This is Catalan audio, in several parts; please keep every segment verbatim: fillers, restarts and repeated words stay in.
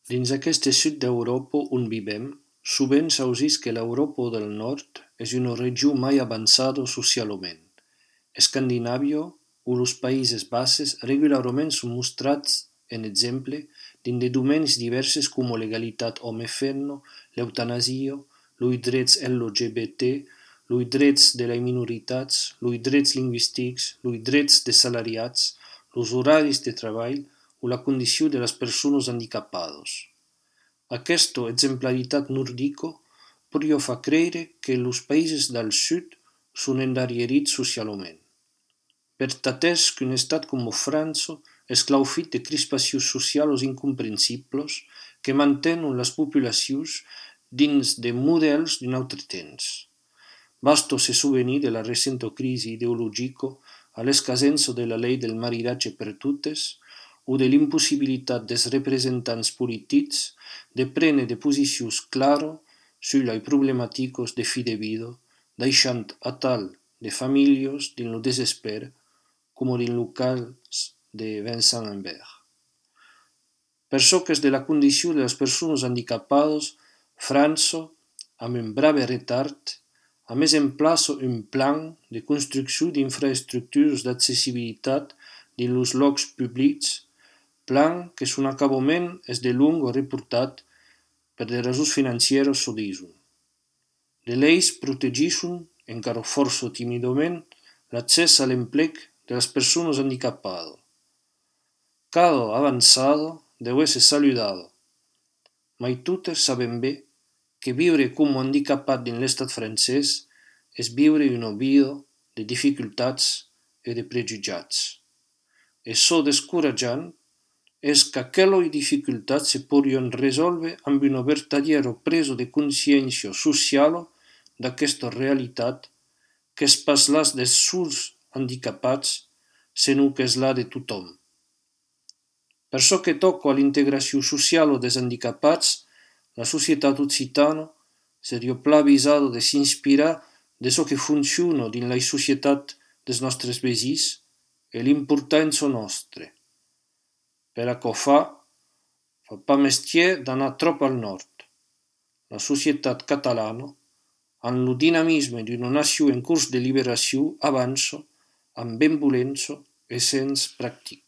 Dins aquest sud d'Europa on vivem, sovint s'ausís que l'Europa del Nord és una regió mai avançada socialment. Escandinàvia o els Països Baixos regularment són mostrats en exemple dins de domenis diversos com l'egalitat home-femina, l'eutanasia, els drets L G B T, els drets de les minoritats, els drets lingüístics, els drets dels salariats, els horaris de treball o la condició de les persones handicapades. Aquesta exemplaritat nordica podria fer creure que els països del sud són endarrerits socialment. Per atès qu'un estat com França és claufit de crispacions socials incomprensibles que mantenen les populacions dins de models d'un altre temps. Basta se souvenir de la recente crisi ideològica a l'escassença de la llei del maridatge per totes o de l'impossibilitat dels representants polítics de prendre de posicions clares sobre les problemàtiques de fi de vida, deixant a tal de famílies dins el desesper, com dins el cas de Vincent Imbert. Per çò que és de la condició de les persones handicapades, França, amb un brave retard, a més emplaça un plan de construcció d'infraestructures d'accessibilitat dins els llocs públics, plan que son acabament és de long reportat per de raons financieres, s'ho diuen. Les lleis protegeixen, encara força tímidament, l'accés a l'emplec de les persones handicapades. Cada avançada deu ser saludada, mai totes sabem bé que viure com a handicapat dins l'estat francès és viure una vida de dificultats i de prejutjats. E çò descoratjant és que aquelles dificultats se podrien resoldre amb una vertadera presa de consciència social d'aquesta realitat que és pas la dels sols handicapats, sinó que és la de tothom. Per çò que toca a l'integració social dels handicapats, la societat occitana seria pla avisada de s'inspirar de çò que funciona dins la societat dels nostres veïns e l'importància nostra. Per aquò fa, fa pas mestier d'anar trop al nord. La societat catalana, amb el dinamisme d'una nació en curs de liberació, avança amb benvolença i sens pràctic.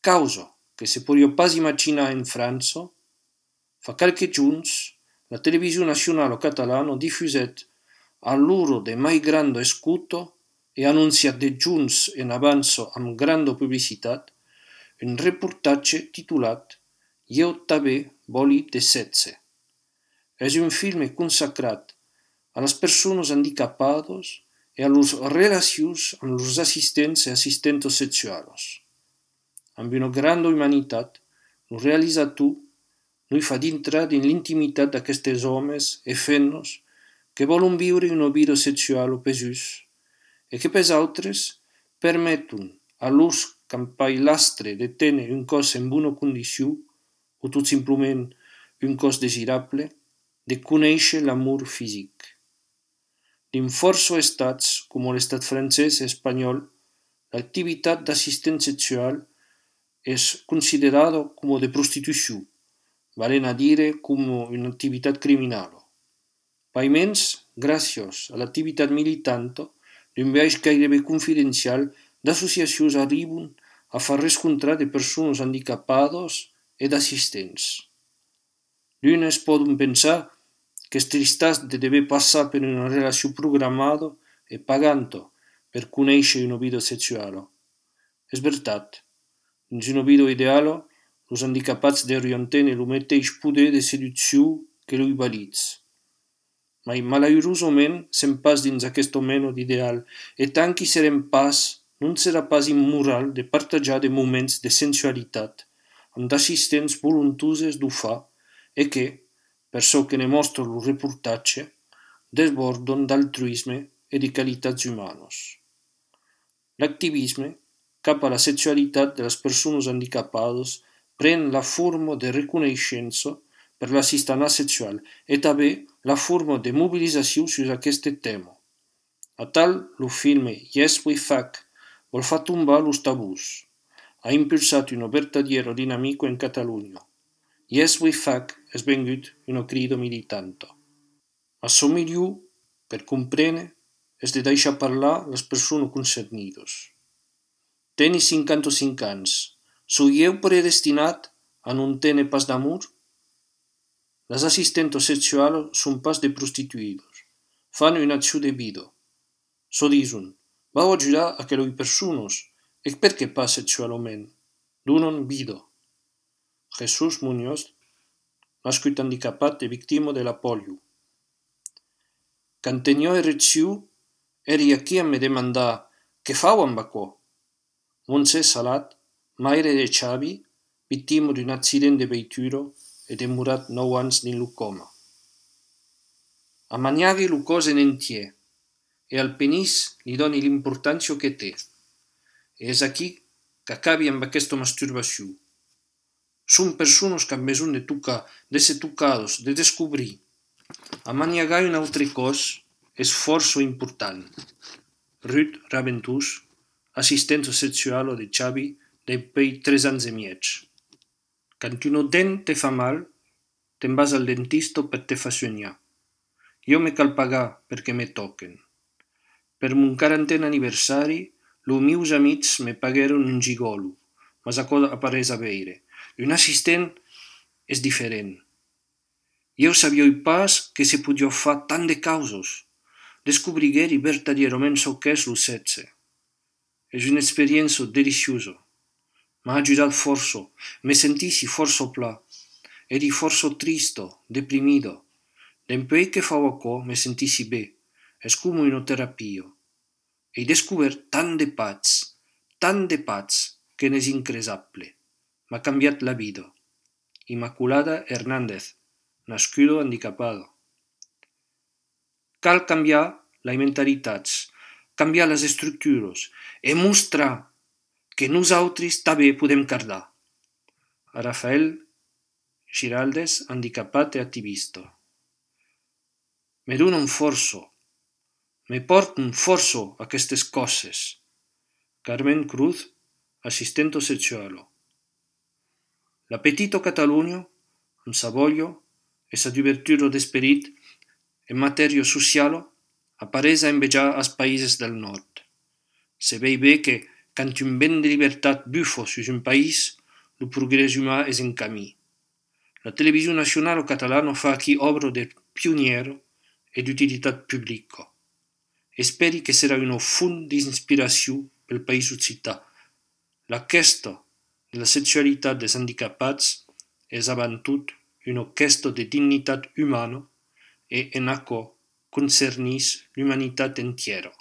Causa que se podria pas imaginar en França, fa qualques junts la televisió nacional catalana difusèt a l'hora de mai granda escuta e anunciat de junts en avança amb granda publicitat un reportatge titulat «Jo també volia de setze». És un film consacrat a les persones handicapades i a les relacions amb els assistents i assistentes sexuals. Amb una grande humanitat, el realitzador no hi fa dintre dins l'intimitat d'aquests homes i femmes que volen viure una vida sexual o pesús i que per altres permeten a l'ús campailastre de tenir un cos en bona condició o tot simplement un cos desirable, de conèixer l'amor físic. Dins força estats, com l'estat francès i espanyol, l'activitat d'assistent sexual és considerada com de prostitució, valen a dir com una activitat criminal. Paiments, gràcies a l'activitat militant d'un viatge gairebé confidencial d'associacions arriben a fer rescontrar de persones handicapades i d'assistents. D'unes poden pensar que és tristàs de dever passar per una relació programada i pagant per conèixer una vida sexual. És veritat, dins una vida ideal, els handicapats deurien tenir el mateix poder de seducció que els vàlids. Mai malaurosament sem pas dins aquesta mena d'ideal e tant que serem pas, non serà pas immoral de partajar de moments de sensualitat amb d'assistents voluntoses d'ho fa e que, per çò que ne mostra el reportatge, desborden d'altruisme i de qualitats humanes. L'activisme cap a la sexualitat de les persones handicapades pren la forma de reconeixença per l'assistança sexual i també la forma de mobilització sobre aquest tema. A tal, el film Yes We Fuck vol fer tombar els tabús. Ha impulsat una vertadera dinàmica en Catalunya. Yes we fac es vengut una crido militanto. Ma so miliu, per comprene, es de deixar parlar les persones concernidos. Teni cinquanta-cinc anys, soyeu predestinat a non tene pas d'amor? Les assistentes sexuals són pas de prostituïdos, fan una acció de vida. So dison, vau ajudar aquelle persones, e perché pas sexualment, donen vida. Jesús Muñoz, nascut handicapat e victima de la polio. Quan tenia erecció, eri aquí a me demandar què fau amb aquò. Montse Salat, maire de Xavi, victima d'un accident de veitura e demorat nou anys dins lo coma. Amaniaghi lo cos en entier, e al penis li doni l'importància que té. E és aquí que acabi amb aquesta masturbació. Són persones que han besoin de tocar, de ser tocades, de descobrir. Amaniagar un altre cos és força important. Ruth Raventós, assistente sexuale de Xavi depuis tres anys e mig. Quand un dent te fa mal, te'n vas al dentista per te fa sognar. Jo me cal pagar perquè me toquen. Per mon quarantena anniversari, los meus amics me pagueren un gigolo, ma sa cosa apareix a veure. Un assistent és diferent. Jo sabia pas que se podia fer tant de causes. Descobrigueri vertadierament so que és lo sexe. És una experiència deliciosa. M'ha ajudat força, me sentissi força pla. Eri força tristo, deprimido. Dempuei que fau aquò me sentissi bé. És com una terapia. He descobert tant de pats, tant de pats, que n'és incresable. M'ha canviat la vida. Immaculada Hernández, nascuda handicapada. Cal canviar les mentalitats, canviar les estructures e mostrar que nosaltres també podem cardar. A Rafael Giraldes, handicapat e activista. Me donen força, me porten força aquestes coses. Carmen Cruz, assistente sexuale. La petita Catalunya, amb sa voglia e sa d'obertura d'esperit en matèria sociale, apareix a envejar als països del nord. Se vei bé que, quand un vent de llibertat bufa sus un país, el progrés humà és en camí. La televisió nacional catalana fa aquí obra de pioniera e d'utilitat pública. Esperi que serà una font d'inspiració pel país occità. La questa de la sexualitat dels handicapats és avant tot una questa de dignitat humana e en aquò concernís l'humanitat entiera.